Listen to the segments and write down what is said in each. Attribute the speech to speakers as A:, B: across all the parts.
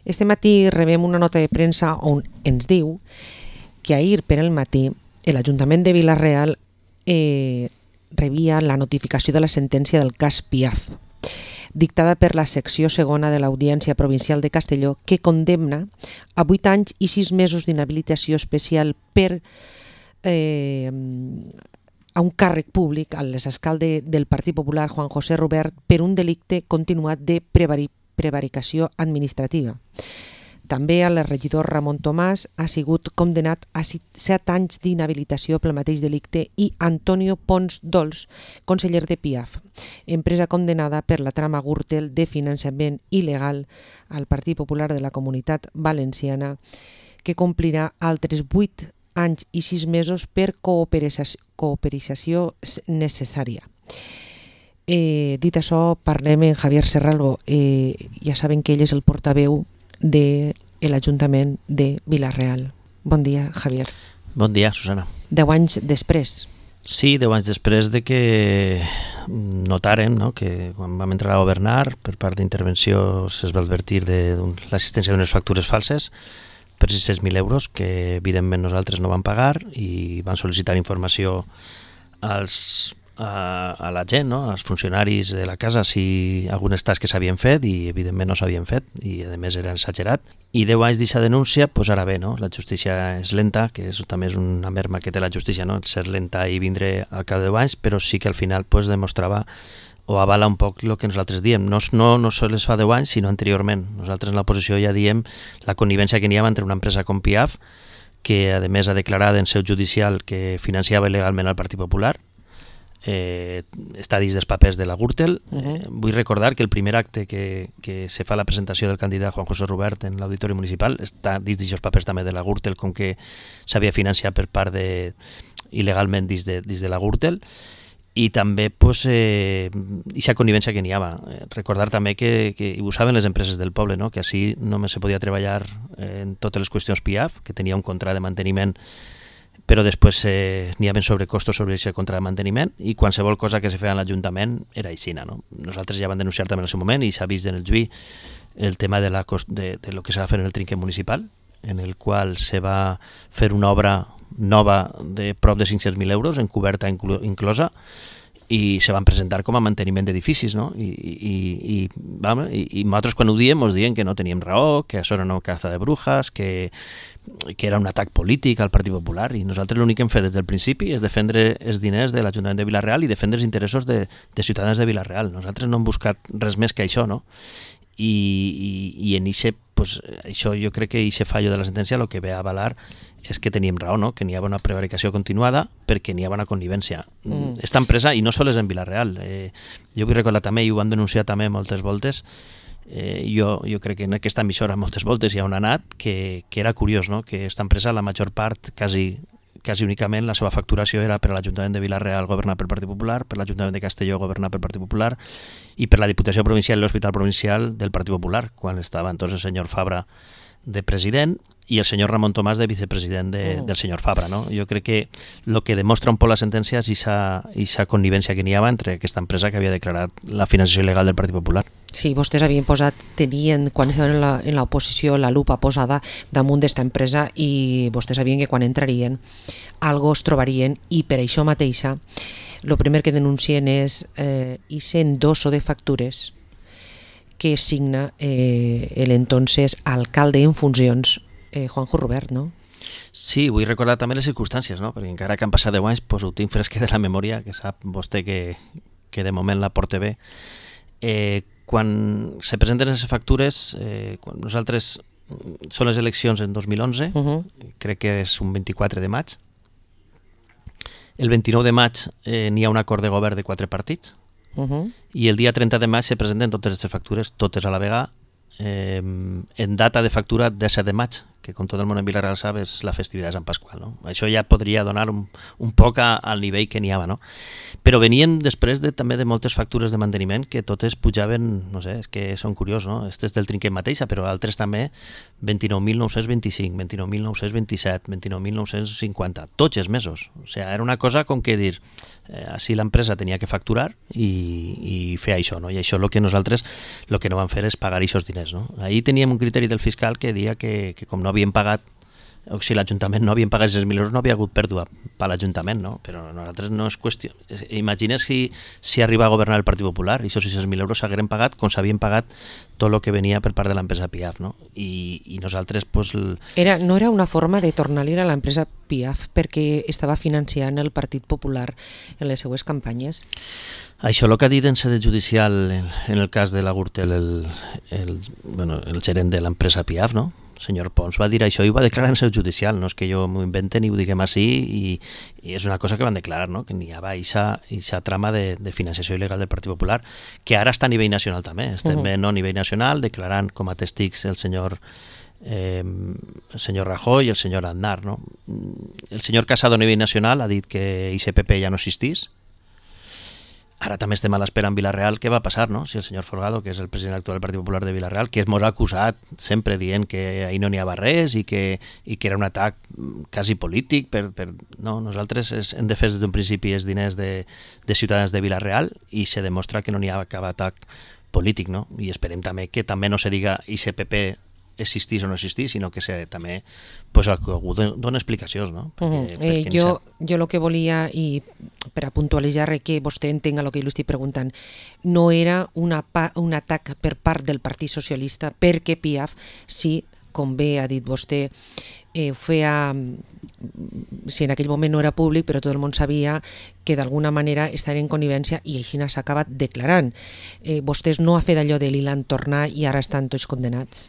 A: Este matí rebem una nota de premsa on ens diu que ahir per el matí l'Ajuntament de Vila-real rebia la notificació de la sentència del cas Piaf, dictada per la secció segona de l'Audiència Provincial de Castelló, que condemna a 8 anys i 6 mesos d'inhabilitació especial per a un càrrec públic, a l'exalcalde del Partit Popular, Juan José Rubert, per un delicte continuat de prevaricació administrativa. També el regidor Ramon Tomàs ha sigut condemnat a 7 anys d'inhabilitació pel mateix delicte i Antonio Pons Dols, conseller de Piaf, empresa condemnada per la trama Gürtel de finançament il·legal al Partit Popular de la Comunitat Valenciana, que complirà altres 8 anys i 6 mesos per cooperació necessària. Dit això, parlem amb Javier Serralbo. Ja saben que ell és el portaveu de l'Ajuntament de Vila-real. Bon dia, Javier.
B: Bon dia, Susana.
A: 10 anys després.
B: Sí, 10 anys després de que notaren, no?, que quan vam entrar a governar, per part d'intervenció es va advertir de l'existència d'unes factures falses per 600.000 euros que evidentment nosaltres no vam pagar, i van sol·licitar informació a la gent, no?, als funcionaris de la casa, si algunes tasques s'havien fet, i evidentment no s'havien fet, i a més era exagerat. I 10 anys d'aquesta denúncia, doncs ara bé, no?, la justícia és lenta, que també és una merma que té la justícia, no?, ser lenta i vindre al cap de 10 anys, però sí que al final demostrava o avala un poc el que nosaltres diem. No sols fa 10 anys, sinó anteriorment. Nosaltres en l'oposició ja diem la connivència que n'hi havia entre una empresa com Piaf, que a més ha declarat en seu judicial que financiava il·legalment el Partit Popular, està dins dels papers de la Gürtel. Vull recordar que el primer acte que se fa la presentació del candidat Juan José Rubert en l'Auditori Municipal està dins d'aquests papers també de la Gürtel, com que s'havia financiat per part il·legalment dins de la Gürtel. I també aquesta connivència que n'hi havia. Recordar també que ho saben les empreses del poble, no?, que així només se podia treballar en totes les qüestions Piaf, que tenia un contracte de manteniment, però després n'hi havia sobrecostos sobre aquest contracte de manteniment, i qualsevol cosa que se feia a l'Ajuntament era aixina, no? Nosaltres ja vam denunciar també en el seu moment, i s'ha vist en el juí el tema de lo que s'ha de fer en el trinquet municipal, en el qual se va fer una obra nova de prop de 500.000 euros, en coberta inclosa, i se van presentar com a manteniment d'edificis, no? I nosaltres quan ho diem ens diuen que no teníem raó, que això era una caza de brujas, que era un atac polític al Partit Popular, i nosaltres l'únic que hem fet des del principi és defendre els diners de l'Ajuntament de Vila-real i defendre els interessos de ciutadans de Vila-real. Nosaltres no hem buscat res més que això, no? I en això jo crec que aquest fallo de la sentència el que ve a avalar és que teníem raó, no?, que n'hi havia una prevaricació continuada perquè n'hi havia una connivència. Esta empresa, i no sols és en Vila-real, jo vull recordar també, i ho van denunciar també moltes voltes, jo crec que en aquesta emissora moltes voltes ja on ha anat, que era curiós, no?, que esta empresa, la major part, quasi únicament, la seva facturació era per a l'Ajuntament de Vila-real governat pel Partit Popular, per l'Ajuntament de Castelló governat pel Partit Popular, i per la Diputació Provincial i l'Hospital Provincial del Partit Popular, quan estava entonces el senyor Fabra de president i el senyor Ramon Tomàs de vicepresident del senyor Fabra, no? Jo crec que el que demostra un poc la sentència és aquesta connivència que n'hi havia entre aquesta empresa que havia declarat la financiació il·legal del Partit Popular.
A: Sí, vostès tenien, quan estaven en l'oposició, la lupa posada damunt d'esta empresa, i vostès sabien que quan entrarien algo es trobarien, i per això mateixa el primer que denuncien és aquest endosso de factures que signa l'entonces alcalde en funcions, Juanjo Rubert, no?
B: Sí, vull recordar també les circumstàncies, no?, perquè encara que han passat 10 anys, ho tinc fresque de la memòria, que sap vostè que de moment la porta bé. Quan se presenten les factures, quan nosaltres són les eleccions en 2011, crec que és un 24 de maig. El 29 de maig n'hi ha un acord de govern de 4 partits, i el dia 30 de maig se presenten totes aquestes factures, totes a la vegada, en data de factura 17 de maig, que com tot el món en Vila-real sap és la festivitat de Sant Pasqual, no? Això ja podria donar un poc al nivell que n'hi havia, no? Però venien després també de moltes factures de manteniment que totes pujaven, no sé, és que són curiós, no? Este és del trinquet mateixa, però altres també 29.925, 29.927, 29.950, tots els mesos. O sigui, era una cosa com que dir, així l'empresa tenia que facturar i fer això, no? I això el que nosaltres el que no vam fer és pagar aquests diners, no? Ahir teníem un criteri del fiscal que deia que com no havien pagat, o si l'Ajuntament no havien pagat 6.000 euros, no havia hagut pèrdua per l'Ajuntament, no? Però nosaltres no és qüestió... Imagina si arriba a governar el Partit Popular i aquests 6.000 euros s'hagueren pagat com s'havien pagat tot el que venia per part de l'empresa Piaf, no? I nosaltres, pues...
A: No era una forma de tornar-li a l'empresa Piaf perquè estava financiant el Partit Popular en les seues campanyes?
B: Això el que ha dit en sede judicial en el cas de la Gürtel el gerent de l'empresa Piaf, no? El senyor Pons va dir això i ho va declarar en seu judicial, no és que jo m'ho invente ni ho diguem així, i és una cosa que van declarar, no? Que n'hi havia aquesta trama de financiació il·legal del Partit Popular, que ara està a nivell nacional també, estem a nivell nacional declarant com a testics el senyor Rajoy i el senyor Aznar, no? El senyor Casado a nivell nacional ha dit que ICPP ja no existís. Ara també estem a l'espera en Vila-real què va passar, no? Si el senyor Folgado, que és el president actual del Partit Popular de Vila-real, que ens ha acusat sempre dient que ahir no n'hi havia res i que era un atac quasi polític, no, nosaltres hem defès des d'un principi els diners de ciutadans de Vila-real i se demostra que no n'hi ha cap atac polític, no? I esperem també que també no se diga ICPP existís o no existís, sinó que també pues, algú dona explicacions, no? Perquè
A: jo el que volia, i per a puntualitzar que vostè entenga el que jo li estic preguntant, no era un atac per part del Partit Socialista perquè Piaf, sí, com bé ha dit vostè, feia, si en aquell moment no era públic, però tot el món sabia que d'alguna manera estaven en connivència i així s'ha acabat declarant. Vostès no ha fet allò de l'Ilan tornar i ara estan tots condenats?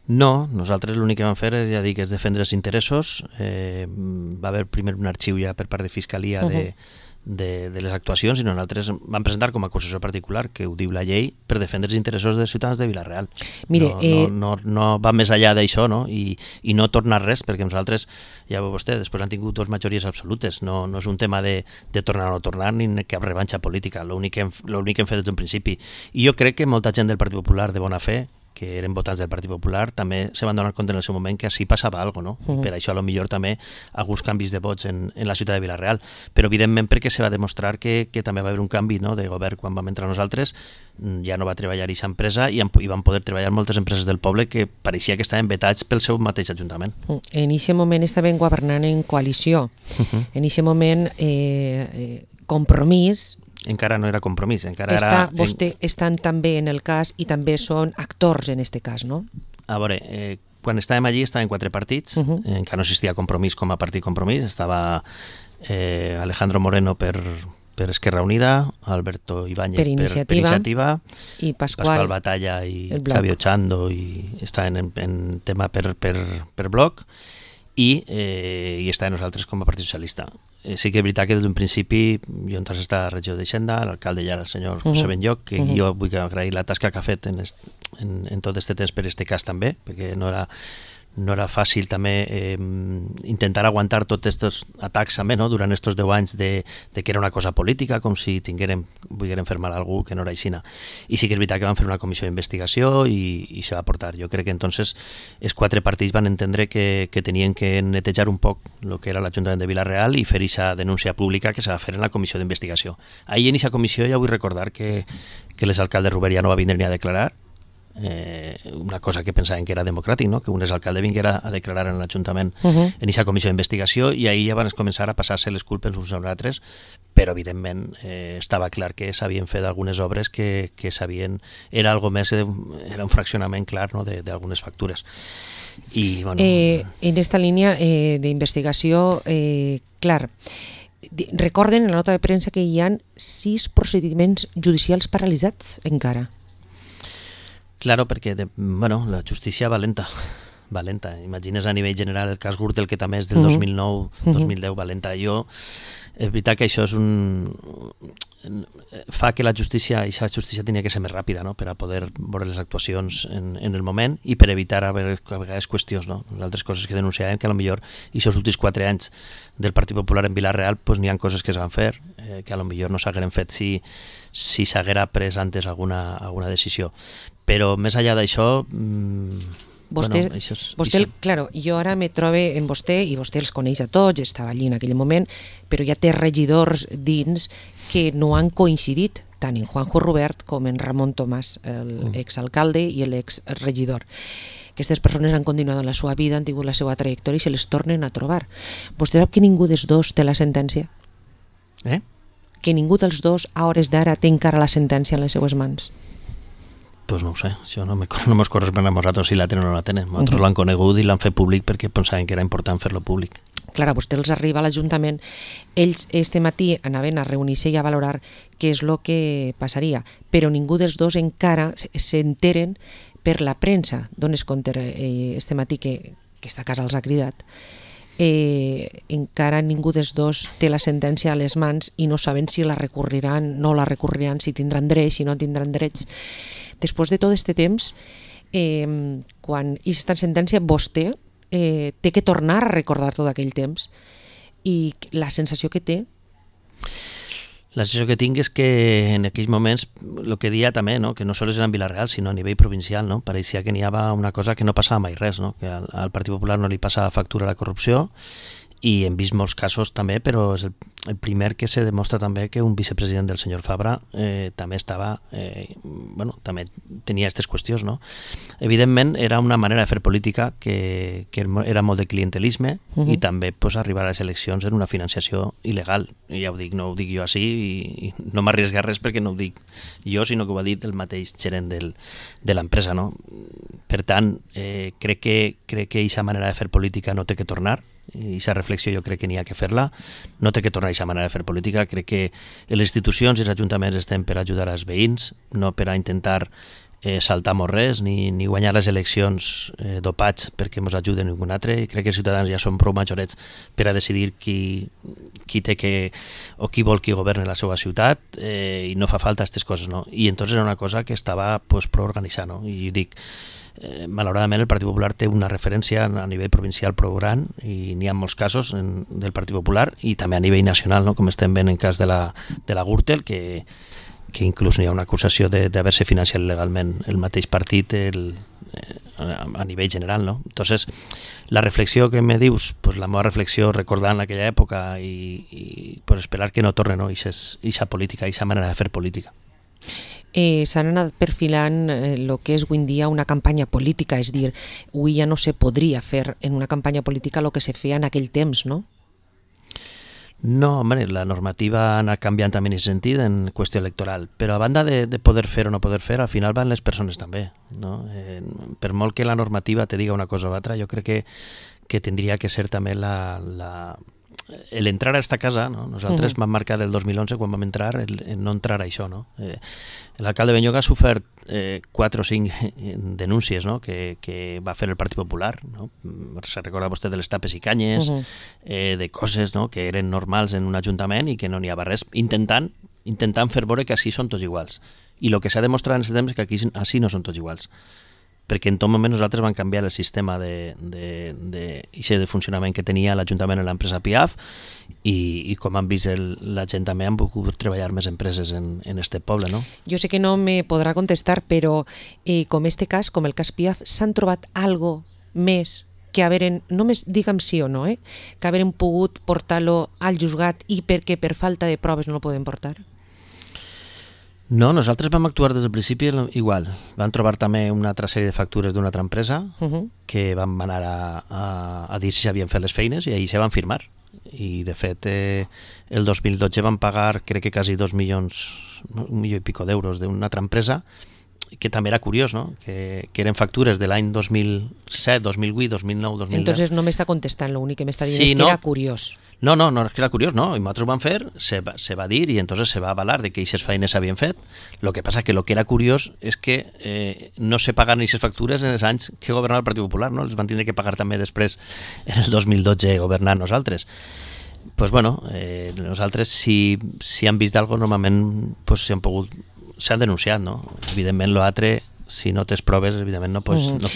B: No, nosaltres l'únic que vam fer és, ja dic, és defendre els interessos. Va haver primer un arxiu ja per part de Fiscalia de les actuacions i nosaltres vam presentar com a acusació particular, que ho diu la llei, per defendre els interessos dels ciutadans de Vila-real. No va més enllà d'això, no? I no tornar res, perquè nosaltres, ja veu vostè, després han tingut dues majories absolutes, no és un tema de tornar o no tornar ni cap revanxa política, l'únic que hem fet des d'un principi. I jo crec que molta gent del Partit Popular de bona fe, que eren votants del Partit Popular, també se van donar compte en el seu moment que així passava alguna cosa, no? Per això a lo millor també alguns canvis de vots en la ciutat de Vila-real, però evidentment perquè se va demostrar que també va haver un canvi, no, de govern quan vam entrar nosaltres, ja no va treballar aquesta empresa i van poder treballar moltes empreses del poble que pareixia que estaven vetats pel seu mateix ajuntament.
A: En aquest moment estaven governant en coalició, en aquest moment Compromís
B: encara no era Compromís, encara era...
A: Vostè estan també en el cas i també són actors en aquest cas, no?
B: A veure, quan estàvem allí estaven 4 partits, encara no existia Compromís com a partit Compromís, estava Alejandro Moreno per Esquerra Unida, Alberto Ibáñez per Iniciativa, i Pascual Batalla i Xavi Ochando i estaven en tema per bloc, i estàvem nosaltres com a Partit Socialista. Sí que és veritat que des d'un principi jo entrés a esta regió d'Hisenda, l'alcalde ja era el senyor José Benlloc, que jo vull agrair la tasca que ha fet en tot aquest temps per aquest cas també, perquè no era fàcil també intentar aguantar tots aquests atacs també, no? Durant aquests 10 anys de que era una cosa política, com si volgueren fer mal a algú que no era aixina. I sí que és veritat que van fer una comissió d'investigació i se va portar. Jo crec que entonces els 4 partits van entendre que tenien que netejar un poc el que era l'Ajuntament de Vila-real i fer aquesta denúncia pública que se va fer en la comissió d'investigació. Ahir en aquesta comissió ja vull recordar que l'exalcalde Ruber ja no va vindre ni a declarar, una cosa que pensaven que era democràtic, no? Que un exalcalde vinguera a declarar en l'Ajuntament en aquesta comissió d'investigació, i ahir ja van començar a passar-se les culpes uns als altres, però evidentment estava clar que s'havien fet algunes obres que s'havien... Era algo més, era un fraccionament clar, no? d'algunes factures. I, bueno...
A: En esta línia d'investigació, clar, recorden en la nota de premsa que hi ha 6 procediments judicials paralitzats encara.
B: Claro, perquè la justícia va lenta. Imagines a nivell general el cas Gürtel, que també és del 2009-2010, va lenta. És veritat que això fa que la justícia, i la justícia tenia que ser més ràpida, no?, per a poder veure les actuacions en el moment i per evitar a vegades qüestions, no? Altres coses que denunciàvem que potser i aquests últims 4 anys del Partit Popular en Vila-real pues, n'hi ha coses que es van fer que potser no s'hagueren fet si s'haguera pres antes alguna decisió. Però més enllà d'això...
A: Vostè, claro, jo ara me trobe en vostè, i vostè els coneix a tots, estava allí en aquell moment, però ja té regidors dins que no han coincidit, tant en Juanjo Rubert com en Ramon Tomàs, l'exalcalde i l'exregidor. Aquestes persones han continuat en la seva vida, han tingut la seva trajectòria i se les tornen a trobar. Vostè sap que ningú dels dos té la sentència? Que ningú dels dos a hores d'ara té encara la sentència en les seues mans?
B: Pues no ho sé, això no mos correspon a nosaltres si la tenen o no la tenen. Nosaltres l'han conegut i l'han fet públic perquè pensaven que era important fer-lo públic.
A: Clar, a vostè els arriba a l'Ajuntament, ells este matí anaven a reunir-se i a valorar què és el que passaria, però ningú dels dos encara s'enteren per la premsa. Dones compte este matí que esta casa els ha cridat. Encara ningú dels dos té la sentència a les mans i no saben si la recorriran, no la recorriran, si tindran drets, si no tindran drets. Després de tot aquest temps, quan aquesta sentència vostè té que tornar a recordar tot aquell temps i la sensació que té?
B: La sensació que tinc és que en aquells moments, el que deia també, no? Que no sols era en Vila-real, sinó a nivell provincial, no? Pareixia que n'hi havia una cosa que no passava mai res, no? Que al Partit Popular no li passava factura a la corrupció, i hem vist molts casos també, però és el primer que se demostra també que un vicepresident del senyor Fabra també estava, també tenia aquestes qüestions, no? Evidentment era una manera de fer política que era molt de clientelisme i també pues, arribar a les eleccions en una financiació il·legal. I ja ho dic, no ho dic jo així i no m'arrisca res perquè no ho dic jo, sinó que ho ha dit el mateix gerent de l'empresa, no? Per tant, crec que aquesta manera de fer política no té que tornar, i aquesta reflexió jo crec que n'hi ha que fer-la, no té que tornar a aquesta manera de fer política. Crec que les institucions i els ajuntaments estem per ajudar als veïns, no per a intentar saltar-nos res ni guanyar les eleccions dopats perquè ens ajuden ningú altre. I crec que els ciutadans ja són prou majorets per a decidir qui té que o qui vol que governe la seva ciutat i no fa falta aquestes coses, no? I entonces era una cosa que estava pues, prou organitzada, no? I dic, malauradament el Partit Popular té una referència a nivell provincial prou gran i n'hi ha molts casos del Partit Popular i també a nivell nacional, no? Com estem veient en cas de la Gürtel, que inclús n'hi ha una acusació d'haver-se financiat legalment el mateix partit a nivell general, no? Entonces, la reflexió que me dius, pues la meva reflexió recordant aquella època i pues esperar que no torne, no? Ixa política, ixa manera de fer política.
A: S'han anat perfilant el que és avui en dia una campanya política, és dir, avui ja no se podria fer en una campanya política el que se feia en aquell temps, no?
B: No, home, la normativa ha anat canviant també en aquest sentit, en qüestió electoral, però a banda de poder fer o no poder fer, al final van les persones també, no? Per molt que la normativa te diga una cosa o altra, jo crec que tindria que ser també l'entrar a esta casa, no? Nosaltres vam marcar el 2011 quan vam entrar el no entrar a això, no? L'alcalde Benyoga ha sofert 4 o 5 denúncies, no? que va fer el Partit Popular, no? Se recorda vostè de les tapes i canyes, de coses, no? Que eren normals en un ajuntament i que no n'hi havia res, intentant fer veure que així són tots iguals. I el que s'ha demostrat en aquest temps és que aquí així no són tots iguals, perquè en tot moment nosaltres vam canviar el sistema de funcionament que tenia l'Ajuntament en l'empresa Piaf i com han vist la gent també han pogut treballar més empreses en este poble, no?
A: Jo sé que no me podrà contestar, però com este cas, com el cas Piaf, s'han trobat algo més que haveren, només digue'm sí o no, que haveren pogut portar-lo al juzgat i perquè per falta de proves no el poden portar?
B: No, nosaltres vam actuar des del principi igual. Vam trobar també una altra sèrie de factures d'una altra empresa que vam anar a dir si s'havien fet les feines i ahir se van firmar. I de fet el 2012 vam pagar crec que quasi 2 milions, 1 milió i pico d'euros d'una altra empresa que també era curiós, no? Que eren factures de l'any 2007, 2008, 2009, 2010.
A: Entonces no m'està contestant, l'únic que m'està dient és que era curiós.
B: No, és que era curiós, no. I nosaltres ho vam fer, se va dir i entonces se va avalar de que aquestes feines s'havien fet. Lo que passa que lo que era curiós és que no se paguen aquestes factures en els anys que governava el Partit Popular, no? Els van tindre que pagar també després en el 2012 governant nosaltres. Pues bueno, nosaltres si han vist alguna cosa, normalment pues, s'han denunciat, no? Evidentment l'altre, si no tens proves, evidentment no pots anar a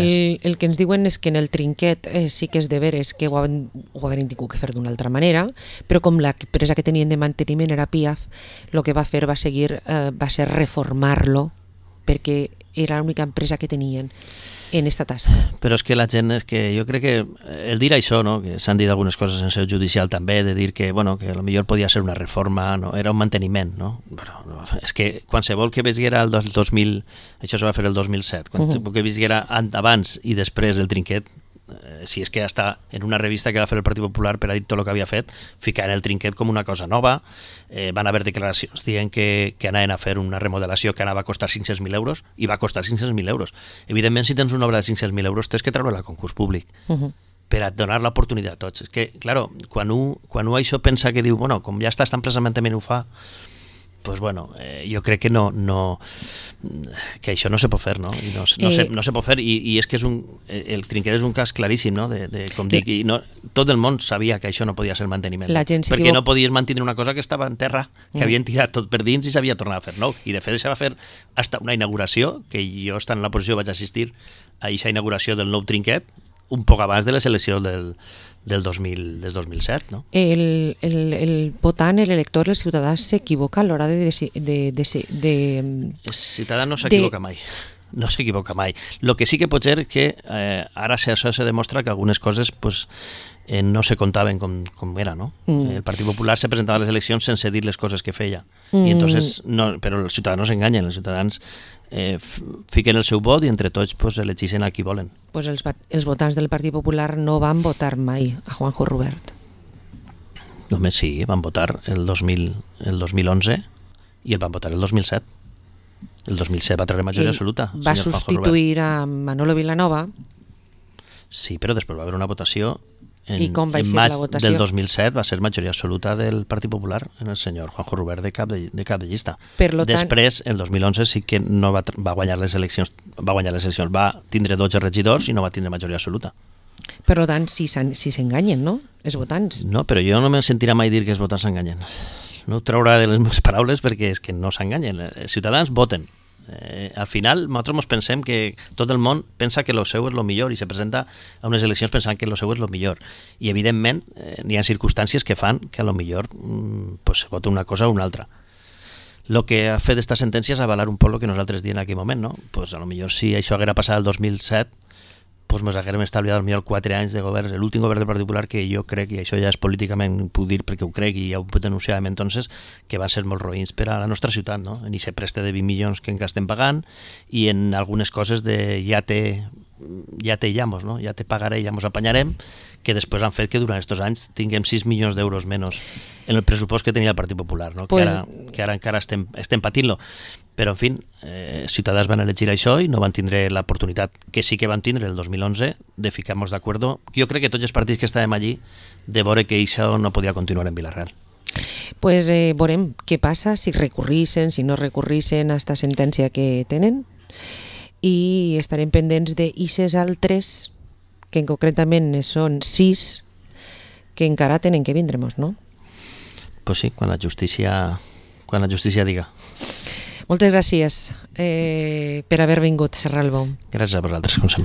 B: més.
A: El que ens diuen és que en el trinquet sí que és de veres que ho haurien tingut que fer d'una altra manera, però com l'empresa que tenien de manteniment era Piaf, el que va fer va ser reformar-lo, perquè era l'única empresa que tenien en esta tasca.
B: Però és que la gent, jo crec que el dir això, no? Que s'han dit algunes coses en seu judicial també, de dir que, bueno, que potser podia ser una reforma, no? Era un manteniment, no? Però és que qualsevol que veiera el 2000, això se va fer el 2007, qualsevol que veiera abans i després el trinquet, si és que està en una revista que va fer el Partit Popular per a dir tot el que havia fet, ficar el trinquet com una cosa nova, van haver declaracions dient que anaven a fer una remodelació que anava a costar 500.000 euros i va costar 500.000 euros. Evidentment, si tens una obra de 500.000 euros tens que treure-la a concurs públic per a donar l'oportunitat a tots. És que, clar, quan un això pensa que diu, bueno, com ja està tan precisament ho fa, pues bueno, jo crec que que això no se pot fer, no? I no se pot fer, i és que el trinquet és un cas claríssim, no? Com dic, i tot el món sabia que això no podia ser manteniment, perquè no podies mantenir una cosa que estava en terra, que havien tirat tot per dins i s'havia tornat a fer nou, i de fet això va fer hasta una inauguració, que jo estant en la posició vaig assistir a aquesta inauguració del nou trinquet, un poc abans de les eleccions del 2007, no?
A: El votant, l'elector, el ciutadà s'equivoca a l'hora de...
B: El ciutadà no s'equivoca mai. No s'equivoca mai. El que sí que pot ser és que ara això se demostra que algunes coses pues, no se contaven com era, no? El Partit Popular se presentava a les eleccions sense dir les coses que feia. I entonces, però els ciutadans no s'enganyen, els ciutadans fiquen el seu vot i entre tots pues, elegeixen a qui volen.
A: Pues els votants del Partit Popular no van votar mai a Juanjo Rubert.
B: Només sí, van votar el 2011 i el van votar el 2007. El 2007 va treure majoria absoluta.
A: Va substituir a Manolo Vilanova.
B: Sí, però després va haver una votació
A: I com va
B: en
A: ser
B: maig
A: la votació?
B: del 2007 va ser majoria absoluta del Partit Popular en el senyor Juanjo Rubert de cap de llista. Després, el 2011 sí que no va guanyar les eleccions, va tindre 12 regidors i no va tindre majoria absoluta.
A: Per tant, si s'enganyen, no? Els votants.
B: No, però jo no me sentirà mai dir que els votants s'enganyen. No ho traurà de les meves paraules perquè és que no s'enganyen. Els ciutadans voten. Al final, nosaltres ens pensem que tot el món pensa que el seu és el millor i se presenta a unes eleccions pensant que el seu és el millor. I, evidentment, hi ha circumstàncies que fan que a lo millor pues, se vota una cosa o una altra. El que ha fet esta sentència és avalar un poc el que nosaltres diem en aquell moment, no? Pues, a lo millor si això haguera passat el 2007, pues ens haguérem estalviat potser 4 anys de govern, l'últim govern del Partit Popular, que jo crec, i això ja és políticament, puc dir perquè ho crec i ja ho denunciàvem entonces, que van ser molt roïns per a la nostra ciutat, no? En aquest preste de 20 milions que encara estem pagant i en algunes coses de ja te llamos, no? Ja te pagaré, ja mos apanyarem, que després han fet que durant aquests anys tinguem 6 milions d'euros menys en el pressupost que tenia el Partit Popular, no? Pues... que ara encara estem patint-lo. Però, en fi, ciutadans van elegir això i no van tindre l'oportunitat que sí que van tindre el 2011 de ficar-nos d'acord. Jo crec que tots els partits que estàvem allí de veure que això no podia continuar en Vila-real.
A: Pues veurem què passa, si recurrixen, si no recurrixen a esta sentència que tenen, i estarem pendents d'ixes altres, que concretament són 6, que encara tenen que vindre-nos, no?
B: Pues sí, quan la justícia diga.
A: Moltes gràcies per haver vingut, Serralbo.
B: Gràcies a vosaltres, com sempre.